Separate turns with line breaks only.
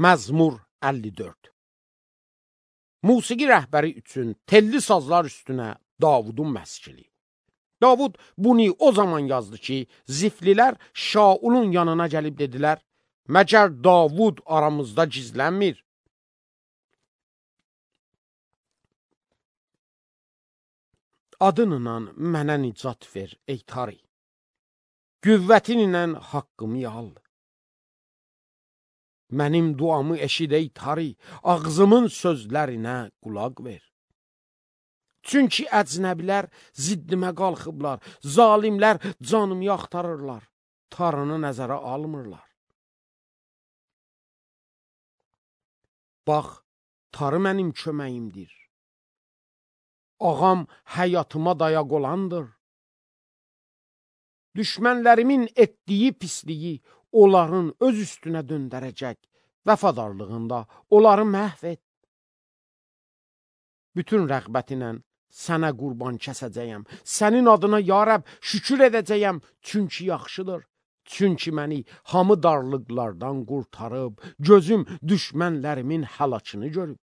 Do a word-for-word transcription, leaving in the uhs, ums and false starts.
Məzmur əlli dörd. Musiqi rəhbəri üçün telli sazlar üstünə Davudun məskili. Davud bunu o zaman yazdı ki, ziflilər Şaulun yanına gəlib dedilər, məgər Davud aramızda gizlənmir? Adınla mənə nicat ver, ey Tari. Qüvvətinlə haqqımı al. Mənim duamı eşid, ey Tari, ağzımın sözlərinə qulaq ver. Çünki əcnəbilər ziddimə qalxıblar, zalimlər canımı axtarırlar, Tarını nəzərə almırlar. Bax, Tarı mənim köməyimdir. Ağam həyatıma dayaq olandır. Düşmənlərimin etdiyi pisliyi onların öz üstünə döndərəcək, vəfadarlığında onları məhv et. Bütün rəğbətinlə sənə qurban kəsəcəyəm, sənin adına ya Rəbb şükür edəcəyəm, çünki yaxşıdır. Çünki məni hamı darlıqlardan qurtarıb, gözüm düşmənlərimin həlakını görüb.